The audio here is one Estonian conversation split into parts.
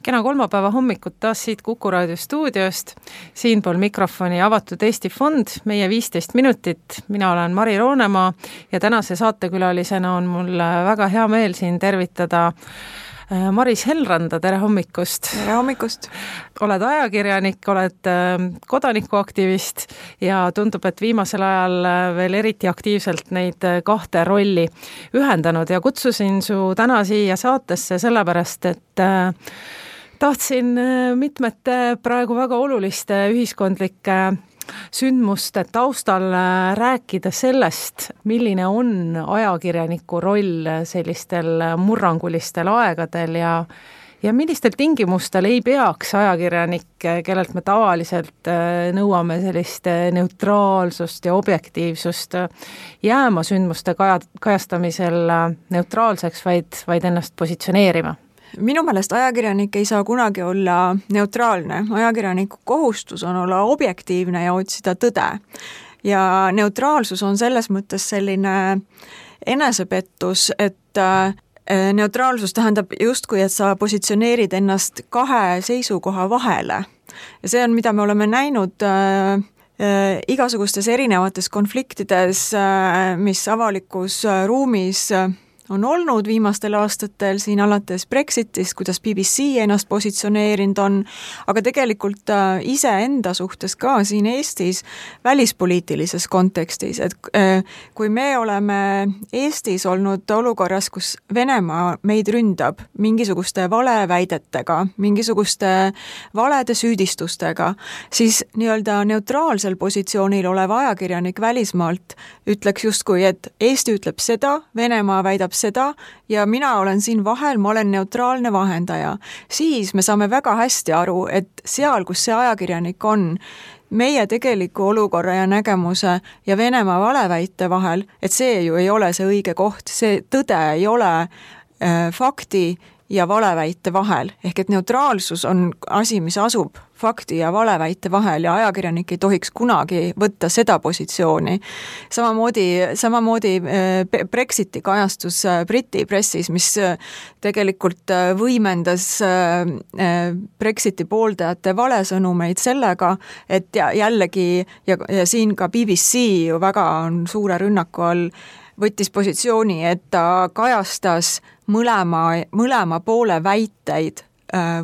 Kena kolmapäeva hommikut taas siit Kuku Raadio stuudiost. Siinpool mikrofoni Avatud Eesti Fond, meie 15 minutit. Mina olen Mari Roonemaa ja tänase saatekülalisena on mul väga hea meel siin tervitada Maris Helranda, tere hommikust! Tere hommikust! Oled ajakirjanik, oled kodanikuaktivist ja tundub, et viimasel ajal veel eriti aktiivselt neid kahte rolli ühendanud ja kutsusin su täna siia saatesse sellepärast, et tahtsin mitmete praegu väga oluliste ühiskondlike sündmuste taustal rääkida sellest, milline on ajakirjaniku roll sellistel murrangulistel aegadel ja millistel tingimustel ei peaks ajakirjanik, kellelt me tavaliselt nõuame sellist neutraalsust ja objektiivsust, jääma sündmuste kajastamisel neutraalseks, vaid ennast positsioneerima. Minu meelest ajakirjanik ei saa kunagi olla neutraalne. Ajakirjaniku kohustus on olla objektiivne ja otsida tõde. Ja neutraalsus on selles mõttes selline enesepettus, et neutraalsus tähendab justkui, et sa positsioneerid ennast kahe seisukoha vahele. Ja see on, mida me oleme näinud igasugustes erinevates konfliktides, mis avalikus ruumis on olnud viimastel aastatel, siin alates Brexitist, kuidas BBC ennast positsioneerinud on, aga tegelikult ise enda suhtes ka siin Eestis välispoliitilises kontekstis, et kui me oleme Eestis olnud olukorras, kus Venemaa meid ründab mingisuguste valeväidetega, mingisuguste valede süüdistustega, siis nii-öelda neutraalsel positsioonil olev ajakirjanik välismaalt ütleks justkui, et Eesti ütleb seda, Venemaa väidab seda ja mina olen siin vahel, ma olen neutraalne vahendaja. Siis me saame väga hästi aru, et seal, kus see ajakirjanik on, meie tegeliku olukorra ja nägemuse ja Venemaa valeväite vahel, et see ju ei ole see õige koht, see tõde ei ole fakti ja valeväite vahel. Ehk et neutraalsus on asi, mis asub fakti ja valeväite vahel ja ajakirjanik ei tohiks kunagi võtta seda positsiooni. Samamoodi Brexiti kajastus Briti pressis, mis tegelikult võimendas Brexiti pooldajate valesõnumeid sellega, et jällegi ja siin ka BBC ju väga on suure rünnaku all võttis positsiooni, et ta kajastas mõlema poole väiteid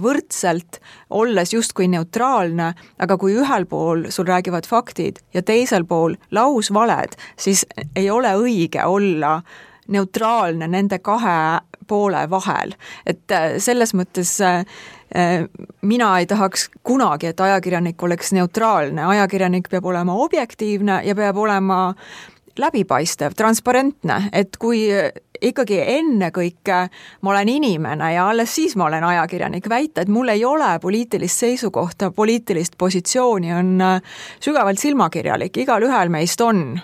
võrdselt, olles justkui neutraalne, aga kui ühel pool sul räägivad faktid ja teisel pool lausvaled, siis ei ole õige olla neutraalne nende kahe poole vahel. Et selles mõttes mina ei tahaks kunagi, et ajakirjanik oleks neutraalne. Ajakirjanik peab olema objektiivne ja peab olema läbipaistev, transparentne, et kui ikkagi enne kõike ma olen inimene ja alles siis ma olen ajakirjanik, väita, et mul ei ole poliitilist seisukohta, poliitilist positsiooni on sügavalt silmakirjalik, igal ühel meist on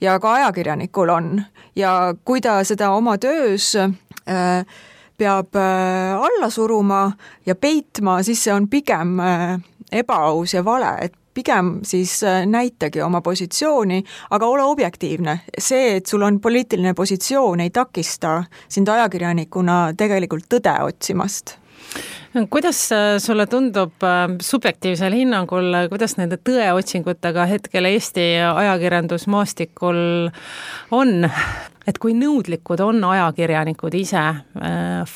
ja ka ajakirjanikul on ja kui ta seda oma töös peab alla suruma ja peitma, siis see on pigem ebaaus ja vale, et pigem siis näitagi oma positsiooni, aga ole objektiivne. See, et sul on poliitiline positsioon, ei takista sind ajakirjanikuna tegelikult tõde otsimast. Kuidas sulle tundub subjektiivsel hinnangul, kuidas nende tõeotsingutega hetkel Eesti ajakirjandusmaastikul on? Et kui nõudlikud on ajakirjanikud ise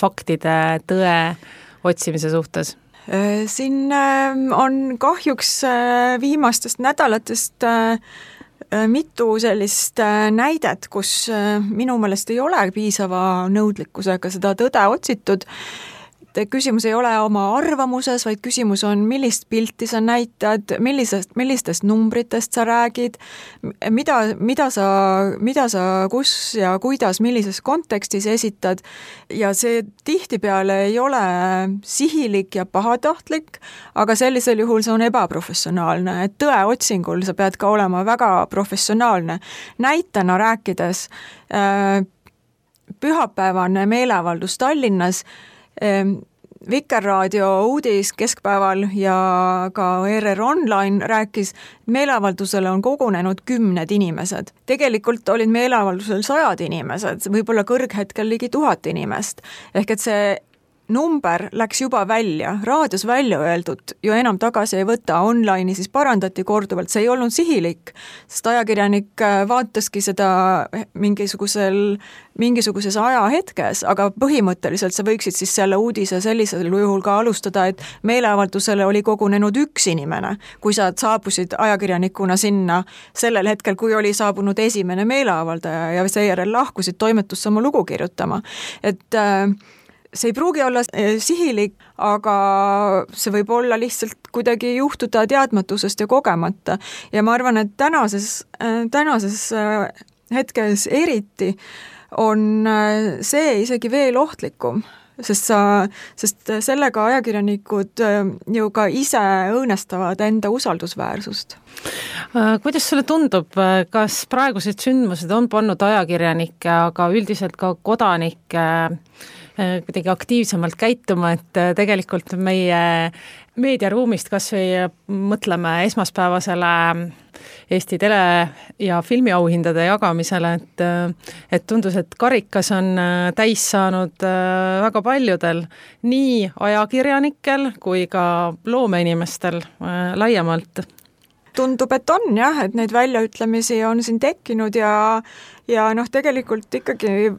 faktide tõe otsimise suhtes? Siin on kahjuks viimastest nädalatest mitu sellist näidet, kus minu meelest ei ole piisava nõudlikkusega seda tõde otsitud. Küsimus ei ole oma arvamuses, vaid küsimus on, millist pilti sa näitad, millistest numbritest sa räägid, mida sa kus ja kuidas, millises kontekstis esitad ja see tihtipeale ei ole sihilik ja pahatahtlik, aga sellisel juhul see on ebaprofessionaalne, et tõe otsingul sa pead ka olema väga professionaalne. Näitena rääkides pühapäevane meeleavaldus Tallinnas, Vikerraadio uudis keskpäeval ja ka ERR Online rääkis, et meeleavaldusele on kogunenud 10 inimesed. Tegelikult olid meeleavaldusel 100 inimesed, võib-olla kõrghetkel ligi 1000 inimest. Ehk et see number läks juba välja, raadios välja öeldud ju enam tagasi ei võta, online'i siis parandati korduvalt, see ei olnud sihilik, sest ajakirjanik vaataski seda mingisuguses ajahetkes, aga põhimõtteliselt sa võiksid siis selle uudise sellisel juhul ka alustada, et meeleavaldusele oli kogunenud üks inimene, kui sa saabusid ajakirjanikuna sinna sellel hetkel, kui oli saabunud esimene meeleavaldaja ja seejärel lahkusid toimetusse oma lugu kirjutama. Et see ei pruugi olla sihilik, aga see võib olla lihtsalt kuidagi juhtuda teadmatusest ja kogemata. Ja ma arvan, et tänases hetkes eriti on see isegi veel ohtlikum, sest sellega ajakirjanikud ju ka ise õõnestavad enda usaldusväärsust. Kuidas sulle tundub, kas praegused sündmused on pannud ajakirjanikke, aga üldiselt ka kodanikke kuidagi aktiivsemalt käituma, et tegelikult meie meediaruumist kas või mõtleme esmaspäevasele Eesti tele- ja filmiauhindade jagamisele, et tundus, et karikas on täis saanud väga paljudel, nii ajakirjanikel kui ka loomeinimestel laiemalt. Tundub, et on jah, et neid väljaütlemisi on siin tekkinud ja tegelikult ikkagi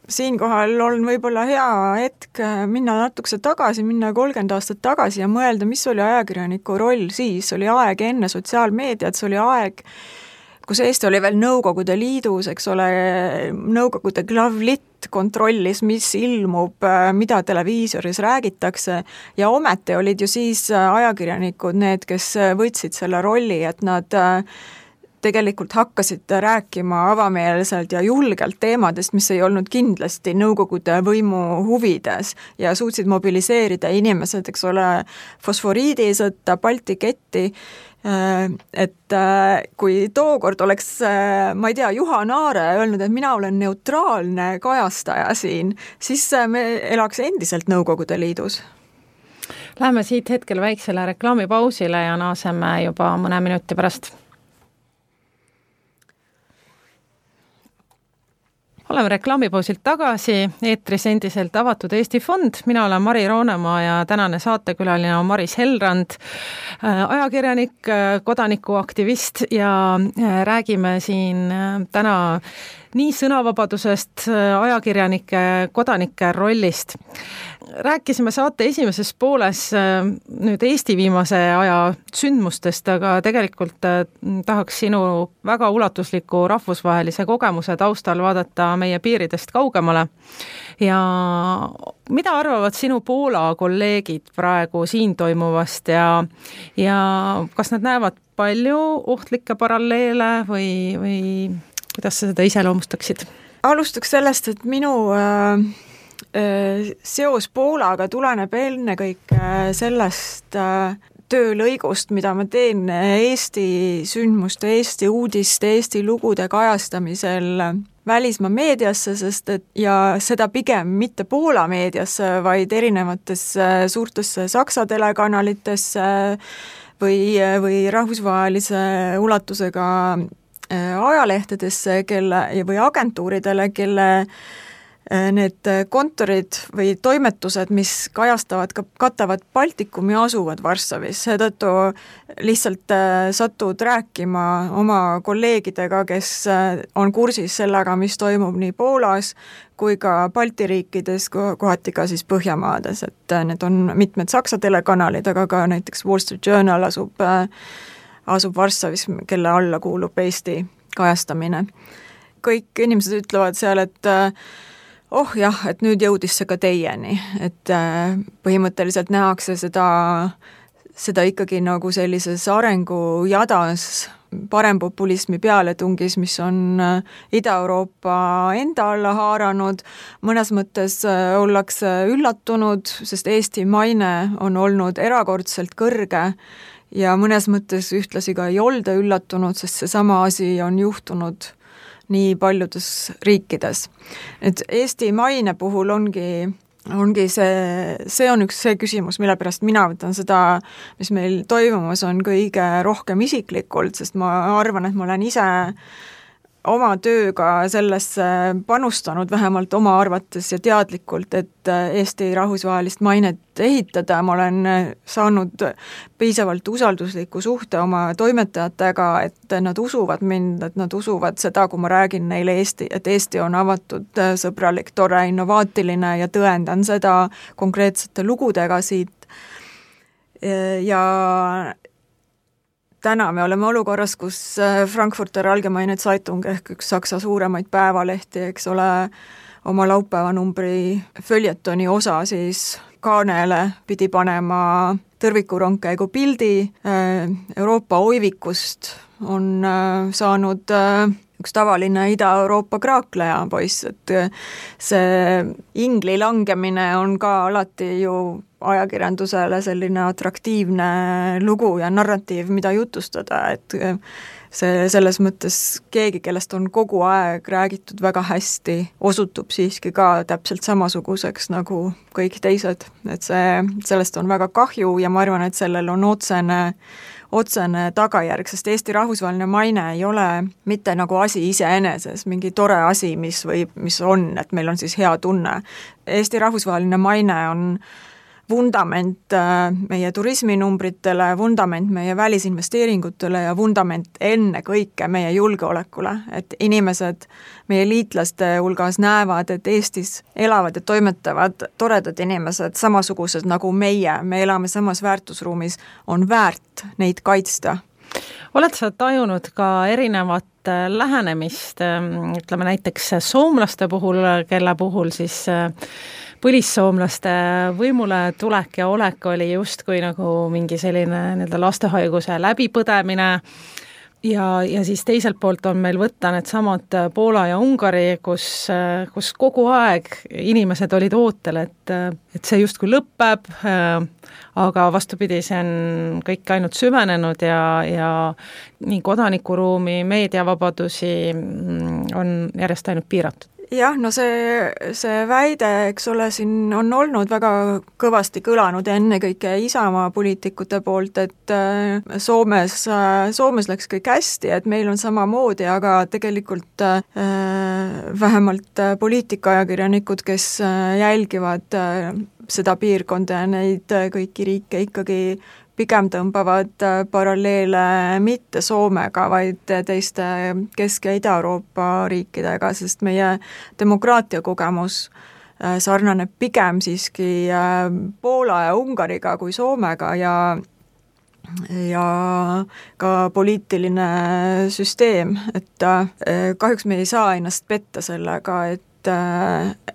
siinkohal on võib-olla hea hetk minna natukese tagasi, minna 30 aastat tagasi ja mõelda, mis oli ajakirjaniku roll siis, oli aeg enne sotsiaalmeediat, see oli aeg, kus Eesti oli veel Nõukogude Liidus, eks ole, Nõukogude glavlitt kontrollis, mis ilmub, mida televiisoris räägitakse ja ometi olid ju siis ajakirjanikud need, kes võtsid selle rolli, et nad tegelikult hakkasid rääkima avameelselt ja julgelt teemadest, mis ei olnud kindlasti Nõukogude võimu huvides ja suutsid mobiliseerida inimesed, eks ole, fosforiidisõtta, Balti ketti, et kui tookord oleks, ma ei tea, Juha Naare öelnud, et mina olen neutraalne kajastaja siin, siis me elaks endiselt Nõukogude Liidus. Läheme siit hetkel väiksele reklaamipausile ja naaseme juba mõne minuti pärast. Oleme reklaamipausilt tagasi, eetris endiselt Avatud Eesti Fond, mina olen Mari Roonemaa ja tänane saatekülaline on Maris Helrand, ajakirjanik, kodanikuaktivist ja räägime siin täna nii sõnavabadusest, ajakirjanike, kodanike rollist. Rääkisime saate esimeses pooles nüüd Eesti viimase aja sündmustest, aga tegelikult tahaks sinu väga ulatusliku rahvusvahelise kogemuse taustal vaadata meie piiridest kaugemale. Ja mida arvavad sinu Poola kolleegid praegu siin toimuvast ja kas nad näevad palju ohtlikke paralleele või kuidas sa seda iseloomustaksid? Alustaks sellest, et minu seos Poolaga tuleneb ennekõike sellest töölõigust, mida ma teen Eesti sündmuste, Eesti uudiste, Eesti lugude kajastamisel välismaa meediasse, sest et ja seda pigem mitte Poola meediasse, vaid erinevatesse suurtesse Saksa telekanalitesse või rahvusvahelise ulatusega ajalehtedesse või agentuuridele, kelle need kontorid või toimetused, mis katavad Baltikumi, asuvad Varssavis. Seetõttu lihtsalt satud rääkima oma kolleegidega, kes on kursis sellega, mis toimub nii Poolas kui ka Balti riikides, kohati ka siis Põhjamaades, et need on mitmed Saksa telekanalid, aga ka näiteks Wall Street Journal asub Varssavis, kelle alla kuulub Eesti kajastamine. Kõik inimesed ütlevad seal, et et nüüd jõudis see ka teieni, et põhimõtteliselt nähakse seda ikkagi nagu sellises arengujadas, parempopulismi pealetungis, mis on Ida-Euroopa enda alla haaranud, mõnes mõttes ollakse üllatunud, sest Eesti maine on olnud erakordselt kõrge ja mõnes mõttes ühtlasi ka ei olda üllatunud, sest seesama asi on juhtunud nii paljudes riikides. Et Eesti maine puhul ongi see on üks see küsimus, mille pärast mina võtan seda, mis meil toimumas on kõige rohkem isiklikult, sest ma arvan, et ma olen ise oma tööga sellesse panustanud, vähemalt oma arvates ja teadlikult, et Eesti rahvusvahelist mainet ehitada. Ma olen saanud piisavalt usaldusliku suhte oma toimetajatega, et nad usuvad mind, et nad usuvad seda, kui ma räägin neile et Eesti on avatud, sõbralik, tore, innovaatiline ja tõendan seda konkreetsete lugudega siit. Ja täna me oleme olukorras, kus Frankfurter Allgemeine Zeitung ehk üks Saksa suuremaid päevalehti, eks ole, oma laupäevanumbri följetoni osa siis kaanele pidi panema tõrvikurongkäigu pildi. Euroopa oivikust on saanud üks tavaline Ida-Euroopa kraakleja poiss, et see ingli langemine on ka alati ju ajakirjandusele selline atraktiivne lugu ja narratiiv, mida jutustada, et see selles mõttes keegi, kellest on kogu aeg räägitud väga hästi, osutub siiski ka täpselt samasuguseks nagu kõik teised, et sellest on väga kahju ja ma arvan, et sellel on otsene tagajärg, sest Eesti rahvusvaheline maine ei ole mitte nagu asi iseeneses, mingi tore asi, mis on, et meil on siis hea tunne. Eesti rahvusvaheline maine on vundament meie turisminumbritele, vundament meie välisinvesteeringutele ja vundament enne kõike meie julgeolekule, et inimesed meie liitlaste hulgas näevad, et Eestis elavad ja toimetavad toredad inimesed, samasugused nagu meie, me elame samas väärtusruumis, on väärt neid kaitsta. Oled sa tajunud ka erinevat lähenemist, ütleme näiteks soomlaste puhul, kelle puhul siis põlissoomlaste võimule tulek ja olek oli justkui nagu mingi selline lastehaiguse läbipõdemine ja siis teiselt poolt on meil võtta need samad Poola ja Ungari, kus kogu aeg inimesed olid ootel, et see justkui lõpeb, aga vastupidi, see on kõik ainult süvenenud ja nii kodanikuruumi, meediavabadusi on järjest ainult piiratud. Jah, no see väide, eks ole, siin on olnud väga kõvasti kõlanud ennekõike Isamaa poliitikute poolt, et Soomes läks kõik hästi, et meil on samamoodi, aga tegelikult vähemalt poliitikaajakirjanikud, kes jälgivad seda piirkonda ja neid kõiki riike ikkagi pigem tõmbavad paralleele mitte Soomega, vaid teiste Kesk- ja Ida-Euroopa riikidega, sest meie demokraatia kogemus sarnaneb pigem siiski Poola ja Ungariga kui Soomega ja ka poliitiline süsteem, et kahjuks me ei saa ennast petta sellega, et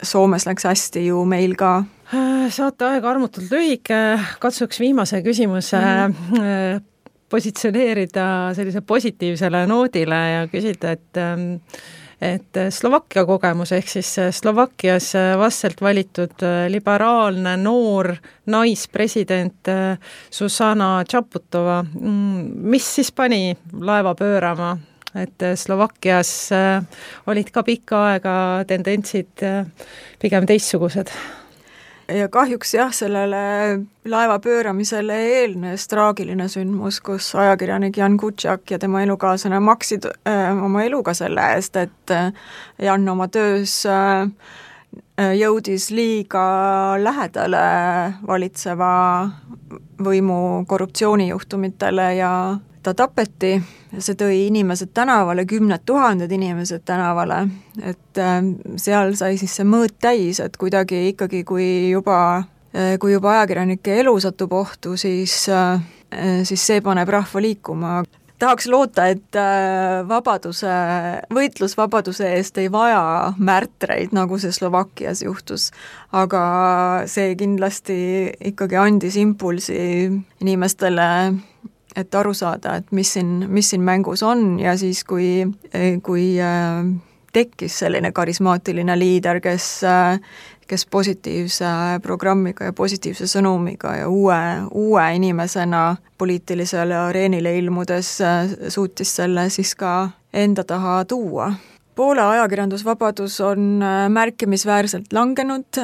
Soomes läks hästi ju meil ka. Saate aeg armutult lühike, katsuks viimase küsimuse positsioneerida sellise positiivsele noodile ja küsida, et Slovakkia kogemus ehk siis Slovakkias vastselt valitud liberaalne noor naispresident Zuzana Čaputova, mis siis pani laeva pöörama? Et Slovakkias olid ka pikka aega tendentsid pigem teistsugused. Ja kahjuks jah, sellele laeva pööramisele eelnes traagiline sündmus, kus ajakirjanik Jan Kutšak ja tema elukaaslane maksid oma eluga selle eest, et Jan oma töös jõudis liiga lähedale valitseva võimu korruptsioonijuhtumitele ja ta tapeti ja see tõi inimesed tänavale, 10 000 inimesed tänavale, et seal sai siis see mõõt täis, et kuidagi ikkagi, kui juba ajakirjanike elu satub ohtu, siis see paneb rahva liikuma. Tahaks loota, et võitlus vabaduse eest ei vaja märtreid, nagu see Slovakkias juhtus, aga see kindlasti ikkagi andis impulsi inimestele, et aru saada, et mis siin mängus on ja siis, kui tekkis selline karismaatiline liider, kes positiivse programmiga ja positiivse sõnumiga ja uue inimesena poliitilisele areenile ilmudes suutis selle siis ka enda taha tuua. Poola ajakirjandusvabadus on märkimisväärselt langenud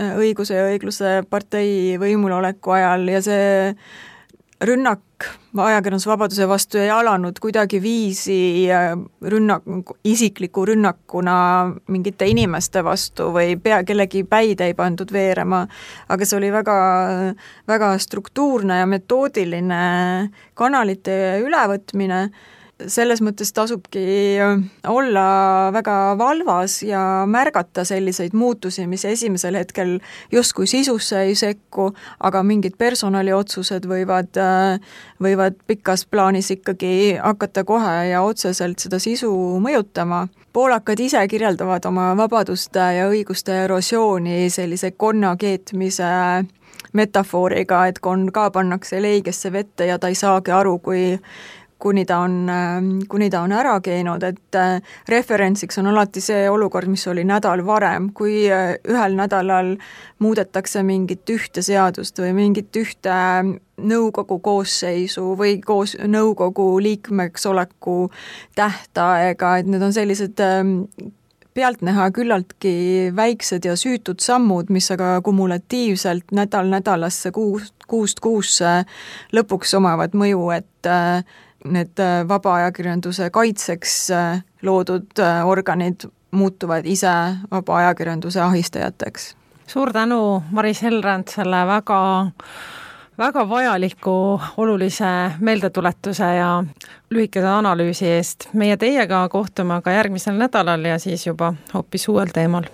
Õiguse ja õigluse partei võimuloleku ajal ja see rünnak ajakirjandusvabaduse vastu ei alanud kuidagi viisi isikliku rünnakuna mingite inimeste vastu või kellegi päid ei pandud veerema, aga see oli väga, väga struktuurne ja metoodiline kanalite ülevõtmine. Selles mõttes tasubki olla väga valvas ja märgata selliseid muutusi, mis esimesel hetkel justkui sisusse ei sekku, aga mingid personaliotsused võivad pikas plaanis ikkagi hakata kohe ja otseselt seda sisu mõjutama. Poolakad ise kirjeldavad oma vabaduste ja õiguste erosiooni sellise konna keetmise metafooriga, et konn ka pannakse leigesse vette ja ta ei saagi aru, kuni ta on ära keenud, et referentsiks on alati see olukord, mis oli nädal varem, kui ühel nädalal muudetakse mingit ühte seadust või mingit ühte nõukogu koosseisu või nõukogu liikmeks oleku tähtaega, et need on sellised pealtnäha küllaltki väiksed ja süütud sammud, mis aga kumulatiivselt nädalasse, kuust kuusse lõpuks omavad mõju, et need vaba ajakirjanduse kaitseks loodud organid muutuvad ise vaba ajakirjanduse ahistajateks. Suur tänu, Maris Helrand, selle väga vajaliku olulise meeldetuletuse ja lühikese analüüsi eest. Meie teiega kohtume aga järgmisel nädalal ja siis juba hoopis uuel teemal.